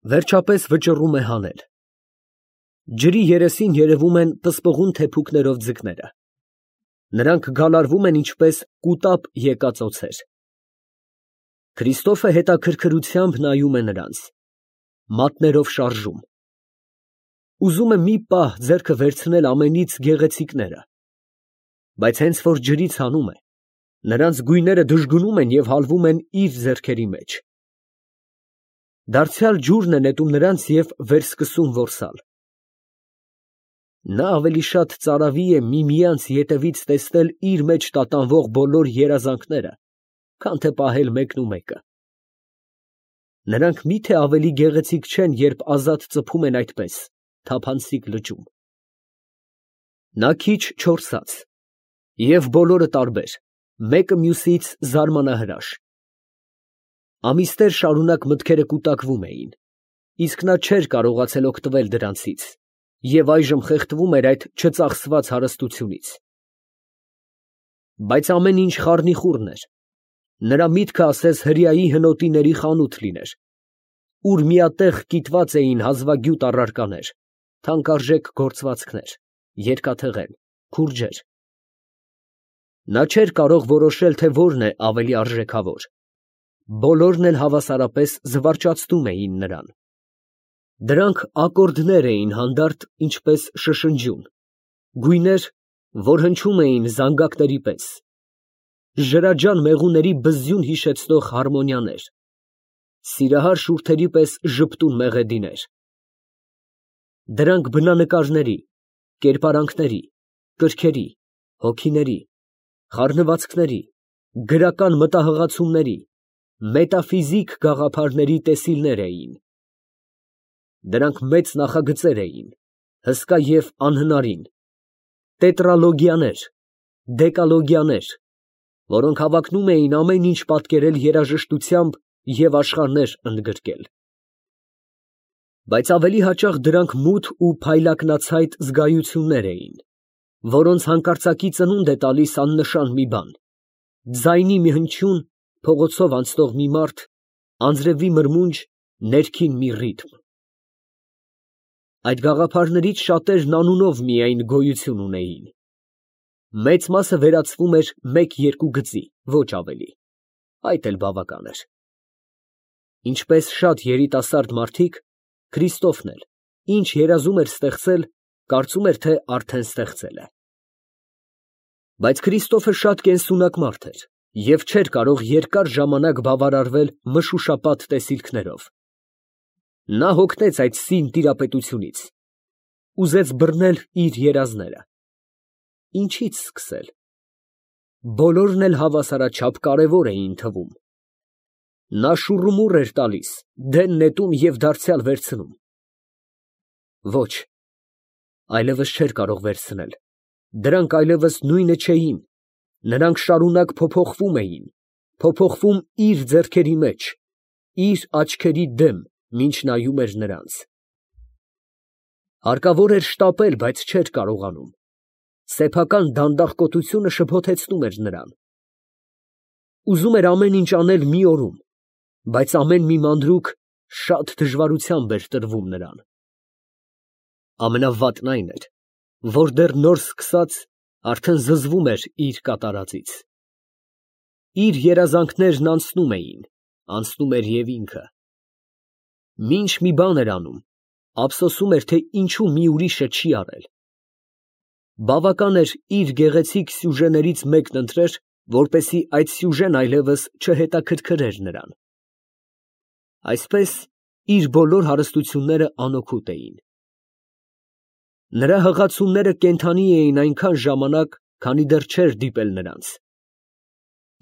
Վերջապես վճռում է հանել։ Ջրի երեսին երևում են պսպղուն թեփուկներով ձկները։ Նրանք գալարվում են ինչպես կուտապ եկած օձեր։ Քրիստոֆը հետաքրքրությամբ նայում է նրանց, մատներով շարժում։ Ուզում է մի պահ ձեռքը վերցնել ամենից գեղեցիկները, բայց հենց որ ջրից հանում է, նրանց գույները դժգնում են և հալվում են իր ձեռքերի մեջ։ Դարձյալ ջուրն է նետում նրանց և վերսկսում որսալ։ Նա ավելի շատ ծարավի է միմյանց ետևից տեսնել իր մեջ տատանվող բոլոր երազանքները, քան թե պահել մեկնումեկը։ Նրանք մի՞թե ավելի գեղեցիկ չեն, երբ ազատ ծփում են այդպես, թափանցիկ լճում։ Նա քիչ չորսած, և բոլորը տարբեր, մեկը մյուսից զարմանահրաշ։ Ամիսներ շարունակ մտքերը կուտակվում էին, իսկ նա չէր կարողացել օգտվել դրանցից և այժմ խեղդվում էր այդ չծախսված հարստությունից։ Բայց ամեն ինչ խառնիխուռն էր։ Նրա միտքը ասես հրեայի հնոտիների խանութ լիներ, ուր միատեղ կիտված էին հազվագյուտ առարկաներ, թանկարժեք գործվածքներ, երկաթեղեն, քուրջեր։ Նա չէր կարող որոշել, թե որն է ավելի արժեքավոր։ Բոլորն էլ հավասարապես զվարճացնում էին նրան։ Դրանք ակորդներ էին հանդարտ, ինչպես շշնջյուն, գույներ, որ հնչում էին զանգակների պես, ջրաջան մեղուների բզզյուն հիշեցնող հարմոնիաներ, սիրահար շուրթերի պես ժպտուն մեղեդիներ։ Դրանք բնանկարների, կերպարանքների, կրքերի, հոգիների, խառնվածքների, գրական մտահղացումների, մետաֆիզիկ գաղափարների տեսիլներ էին։ Դրանք մեծ նախագծեր էին, հսկա և անհնարին, տետրալոգիաներ, դեկալոգիաներ, որոնք հավակնում էին ամեն ինչ պատկերել երաժշտությամբ և աշխարհներ ընդգրկել։ Բայց ավելի հաճախ դրանք մութ ու փայլակնացայտ զգայություններ էին, որոնց հանկարծակի ծնունդ է տալիս աննշան մի բան, ձայնի մի հնչյուն, փողոցով անցնող մի մարդ, անձրևի մրմունջ, ներքին մի ռիթմ։ Այդ գաղափարներից շատերն անունով միայն գոյություն ունեին։ Մեծ մասը վերածվում էր մեկ-երկու գծի, ոչ ավելի, այդ էլ բավական էր։ Ինչպես շատ երիտասարդ մարդիկ, Քրիստոֆն էլ, ինչ երազում էր ստեղծել, կարծում էր, թե արդեն ստեղծել է։ Բայց Քրիստոֆը շատ կենսունակ մարդ էր և չէր կարող երկար ժամանակ բավարարվել մշուշապատ տեսիլքներով։ Նա հոգնեց այդ սին տիրապետությունից, ուզեց բռնել իր երազները։ Ինչի՞ց սկսել։ Բոլորն էլ հավասարաչափ կարևոր էին թվում։ Նա շուռումուռ էր տալիս, դեն նետում և դարձյալ վերցնում։ Ոչ, այլևս չէր կարող վերցնել, դրանք այլևս նույնը չէին, նրանք շարունակ փոփոխվում էին, փոփոխվում իր ձեռքերի մեջ, իր աչքերի դեմ, մինչ նայում էր նրանց։ Հարկավոր էր շտապել, բայց չէր կարողանում, սեփական դանդաղկոտությունը շփոթեցնում էր նրան։ Ուզում էր ամեն ինչ անել մի օրում, բայց ամեն մի մանրուք շատ դժվարությամբ էր տրվում նրան։ Ամենավատն այն էր, որ դեռ նոր սկսած, արդեն զզվում էր իր կատարածից։ Իր երազանքներն անցնում էին, անցնում էր և ինքը։ Մինչ մի բան էր անում, ափսոսում էր, թե ինչու մի ուրիշը չի արել։ Բավական էր իր գեղեցիկ սյուժեներից մեկն ընտրեր, որպեսզի այդ սյուժեն այլևս չհետաքրքրեր նրան։ Այսպես իր բոլոր հարստությունները անօգուտ էին։ Նրա հղացումները կենդանի էին այնքան ժամանակ, քանի դեռ չէր դիպել նրանց։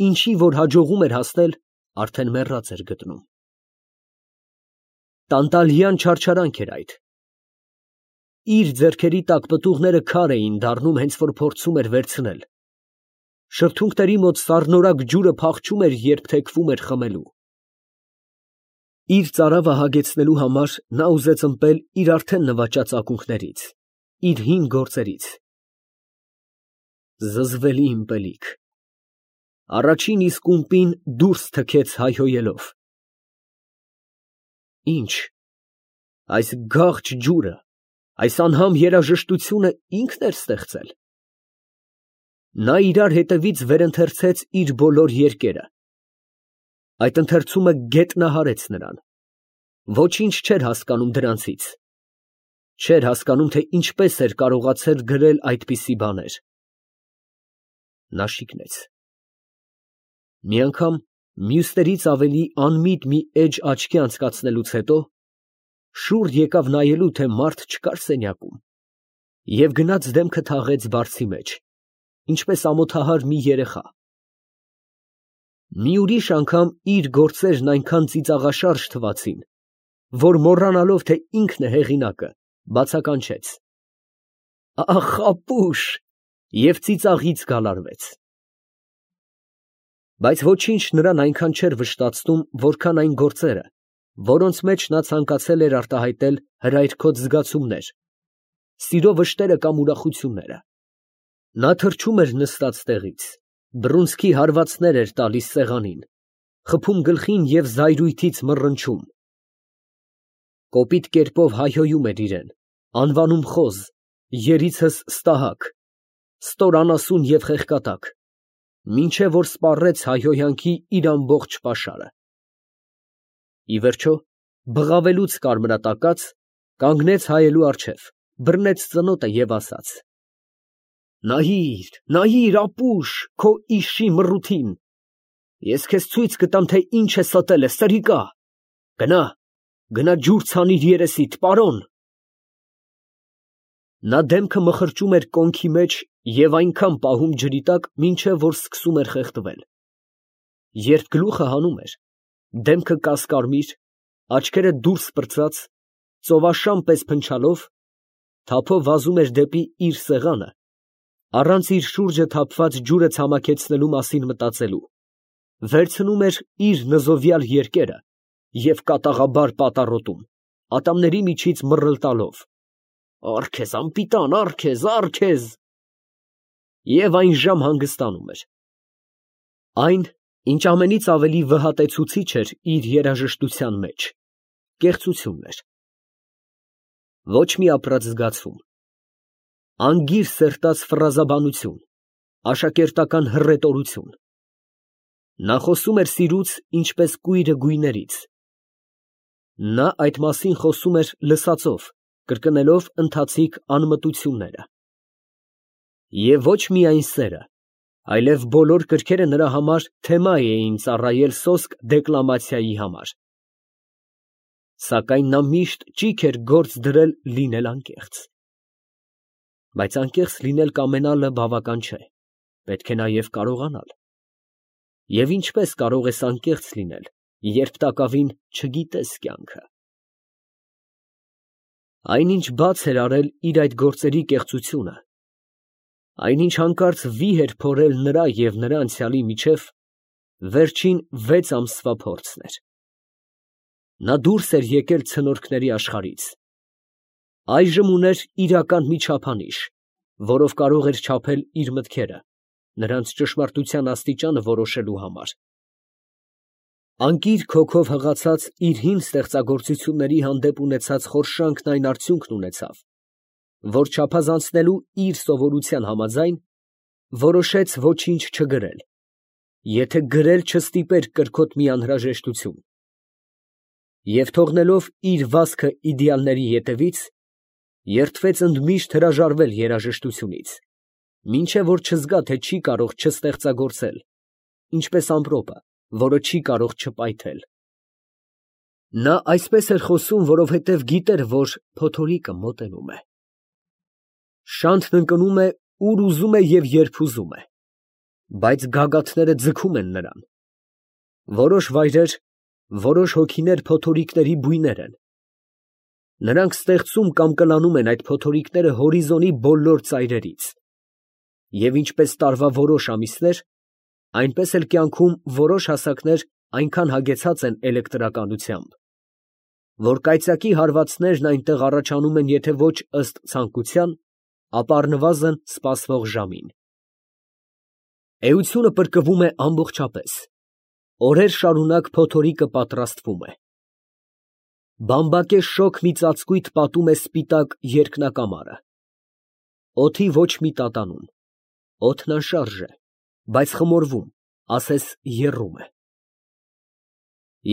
Ինչի որ հաջողում էր հասնել, արդեն մեռած էր գտնում։ Տանտալյան չարչարանք էր այդ։ Իր ձեռքերի տակ պտուղները քար էին դառնում, հենց որ փորձում էր վերցնել։ Շրթունքների մոտ սառնորակ ջուրը փախչում էր, երբ թեքվում էր խմելու։ Իր ծարավը հագեցնելու համար նա ուզեց ըմպել իր արդեն նվաճած ակունքներից, իր հին գործերից։ Զզվելի ըմպելիք։ Առաջին իսկ ումպին դուրս թքեց հայհոյելով։ Ի՞նչ, Այս գաղջ ջուրը, այս անհամ երաժշտությունը ինքն էր ստեղծել։ Նա իրար հետևից վերընթերցեց իր բոլոր երկերը։ Այդ ընթերցումը գետնահարեց նրան։ Ոչինչ չէր հասկանում դրանցից։ Չէր հասկանում, թե ինչպես էր կարողացել գրել այդպիսի բաներ։ Նա շիկնեց։ Մի անգամ մյուսներից ավելի անմիտ մի էջ աչքի անցկացնելուց հետո շուռ եկավ նայելու, թե մարդ չկար սենյակում, և գնաց դեմքը թաղեց բարձի մեջ, ինչպես ամոթահար մի երեխա։ Մի ուրիշ անգամ իր գործերն այնքան ծիծաղաշարժ թվացին, որ մոռանալով, թե ինքն է հեղինակը, բացականչեց. «Ախ, ապուշ!» և ծիծաղից գալարվեց։ Բայց ոչինչ նրան այնքան չէր վշտացնում, որքան այն գործերը, որոնց մեջ նա ցանկացել էր արտահայտել հրայրքոտ զգացումներ, սիրո վշտերը կամ ուրախությունները։ Նա թռչում էր նստած տեղից, բռունցքի հարվածներ էր տալիս սեղանին, խփում գլխին և զայրույթից մռնչում։ Կոպիտ կերպով հայհոյում էր իրեն, անվանում խոզ, երիցս ստահակ, ստոր անասուն և խեղկատակ, մինչև որ սպառեց հայհոյանքի իր ամբողջ պաշարը։ Ի վերջո, բղավելուց կարմրատակած, կանգնեց հայելու առջև, բռնեց ծնոտը և ասաց. «Նայիր, նայիր, ապուշ, քո իշի մռութին, ես քեզ ցույց կտամ, թե ինչ է ստել է, սրիկա, գնա ջուր ցանիր երեսիդ, պարոն»։ Նա դեմքը մխրճում էր կոնքի մեջ և այնքան պահում ջրի տակ, մինչև որ սկսում էր խեղդվել։ Երբ գլուխը հանում էր, դեմքը կասկարմիր, աչքերը դուրս պրծած, ծովաշան պես փնչալով, թափով վազում էր դեպի իր սեղանը, առանց իր շուրջը թափված ջուրը ցամաքեցնելու մասին մտածելու, վերցնում էր իր նզովյալ երկերը և կատաղաբար պատառոտում, ատամների միջից մռլտալով. «Առ քեզ, անպիտան, առ քեզ» և այն ժամ հանգստանում էր։ Այն, ինչ ամենից ավելի վհատեցուցիչ էր իր երաժշտության մեջ, կեղծությունն էր։ Ոչ մի ապրած զգացում, անգիր սերտած ֆրազաբանություն, աշակերտական հռետորություն։ Նա խոսում էր սիրուց, ինչպես կույրը գույներից։ Նա այդ մասին խոսում էր լսածով, կրկնելով ընթացիկ անմտությունները։ Եվ ոչ միայն սերը, այլև բոլոր կրքերը նրա համար թեմա էին ծառայել սոսկ դեկլամացիայի համար։ Սակայն նա միշտ ճիգ էր գործ դրել լինել անկեղծ։ Բայց անկեղծ լինել կամենալը բավական չէ, պետք է նաև կարողանալ։ Եվ ինչպես կարող ես անկեղծ լինել, երբ տակավին չգիտես կյանքը։ Այնինչ բաց էր արել իր այդ գործերի կեղծությունը, այնինչ հանկարծ վիհ էր փորել նրա և նրա անցյալի միջև, վերջին 6 ամսվա փորձն էր։ Նա դուրս էր եկել ցնորքների աշխարհից։ Այժմ ուներ իրական մի չափանիշ, որով կարող էր չափել իր մտքերը, նրանց ճշմարտության աստիճանը որոշելու համար։ Անկիր քոքով հղացած իր հին ստեղծագործությունների հանդեպ ունեցած խորշանքն այն արդյունքն ունեցավ, որ չափազանցնելու իր սովորության համաձայն, որոշեց ոչինչ չգրել, եթե գրել չստիպեր կրքոտ մի անհրաժեշտություն, և թողնելով իր վազքը իդեալների ետևից, երդվեց ընդմիշտ հրաժարվել երաժշտությունից, մինչև որ չզգա, թե չի կարող չստեղծագործել, ինչպես ամպրոպը, որը չի կարող չպայթել։ Նա այսպես էր խոսում, որովհետև գիտեր, որ փոթորիկը մոտենում է։ Շանթն ընկնում է, ուր ուզում է և երբ ուզում է, բայց գագաթները ձգում են նրան։ Որոշ վայրեր, որոշ հոգիներ փոթորիկների բույներ են։ Նրանք ստեղծում կամ կլանում են այդ փոթորիկները հորիզոնի բոլոր ծայրերից։ Եվ ինչպես տարվա որոշ ամիսներ, այնպես էլ կյանքում որոշ հասակներ այնքան հագեցած են էլեկտրականությամբ, որ կայծակի հարվածներն այնտեղ առաջանում են եթե ոչ ըստ ցանկության, ապա առնվազն սպասվող ժամին։ Էությունը պրկվում է ամբողջապես, օրեր շարունակ փոթորիկը պատրաստվում է։ Բամբակե շոգ մի ծածկույթ պատում է սպիտակ երկնակամարը։ Օդի ոչ մի տատանում, օդն անշարժ է, բայց խմորվում, ասես եռում է։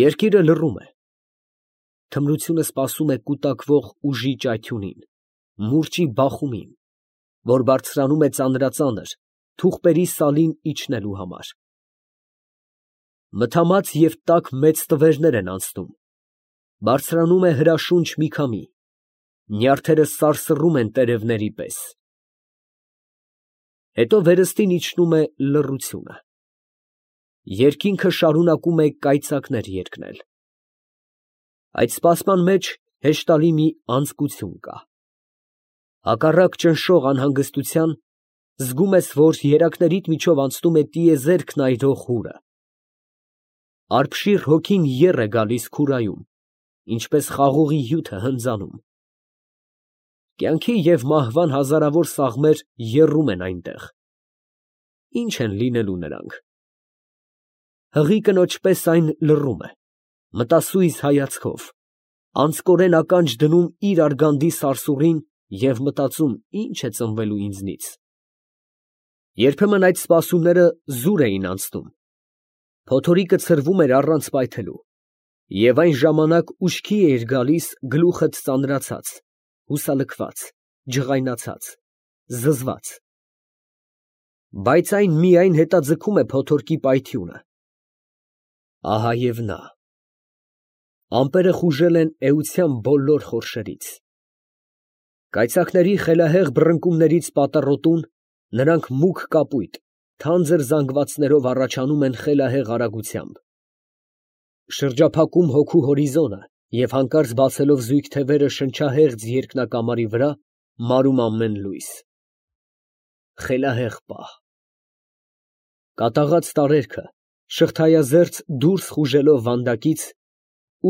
Երկիրը լռում է։ Թմրությունը սպասում է կուտակվող ուժի ճայթյունին, մուրճի բախումին, որ բարձրանում է ծանրածանր, թուղթերի սալին իջնելու համար։ Մթամած և տաք մեծ տվերներ են անցնում, բարձրանում է հրաշունչ մի քամի, նյարդերը սարսռում են տերևների պես։ Հետո վերստին իջնում է լռությունը։ Երկինքը շարունակում է կայծակներ երգնել։ Այդ սպասման մեջ հեշտալի մի անձկություն կա։ Հակառակ ճնշող անհանգստության, զգում ես, որ երակներիդ միջով անցնում է տիեզերք նայրող հուրը։ Արբշիր հոգին եռ է գալիս քուրայում, ինչպես խաղողի հյութը հնձանում։ Կյանքի և մահվան հազարավոր սաղմեր եռում են այնտեղ։ Ի՞նչ են լինելու նրանք։ Հղի կնոջ պես այն լռում է, մտասույզ հայացքով, անձկորեն ականջ դնում իր արգանդի սարսուռին և մտածում, ինչ է ծնվելու ինձնից։ Երբեմն այդ սպասումները զուր էին անցնում, փոթորիկը ցրվում էր առանց պայթելու, և այն ժամանակ ուշքի էիր գալիս գլուխդ ծանրացած, հուսալքված, ջղայնացած, զզված։ Բայց այն միայն հետաձգում է փոթորկի պայթյունը։ Ահա և նա։ Ամպերը խուժել են էության բոլոր խորշերից։ Կայծակների խելահեղ բռնկումներից պատառոտուն, նրանք մուգ կապույտ, թանձր զանգվածներով առաջանում են խելահեղ արագությամբ։ Շրջափակում հոգու հորիզոնը և հանկարծ բացելով զույգ թևերը շնչահեղձ երկնակամարի վրա, մարում ամեն լույս։ Խելահեղ պահ։ Կատաղած տարերքը, շղթայազերծ դուրս խուժելով վանդակից,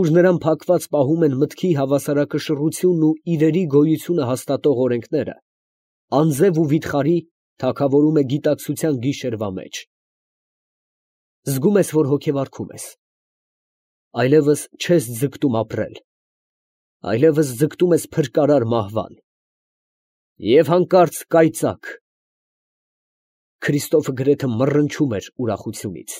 ուր նրան փակված պահում են մտքի հավասարակշռությունն ու իրերի գոյությունը հաստատող օրենքները, անձև ու վիթխարի թագավորում է գիտակցության գիշերվա մեջ։ Զգում ես, որ հոգևորվում ես։ Այլևս չես ձգտում ապրել, այլևս ձգտում ես փրկարար մահվան։ Եվ հանկարծ կայծակ… Քրիստոֆը գրեթե մռնչում էր ուրախությունից։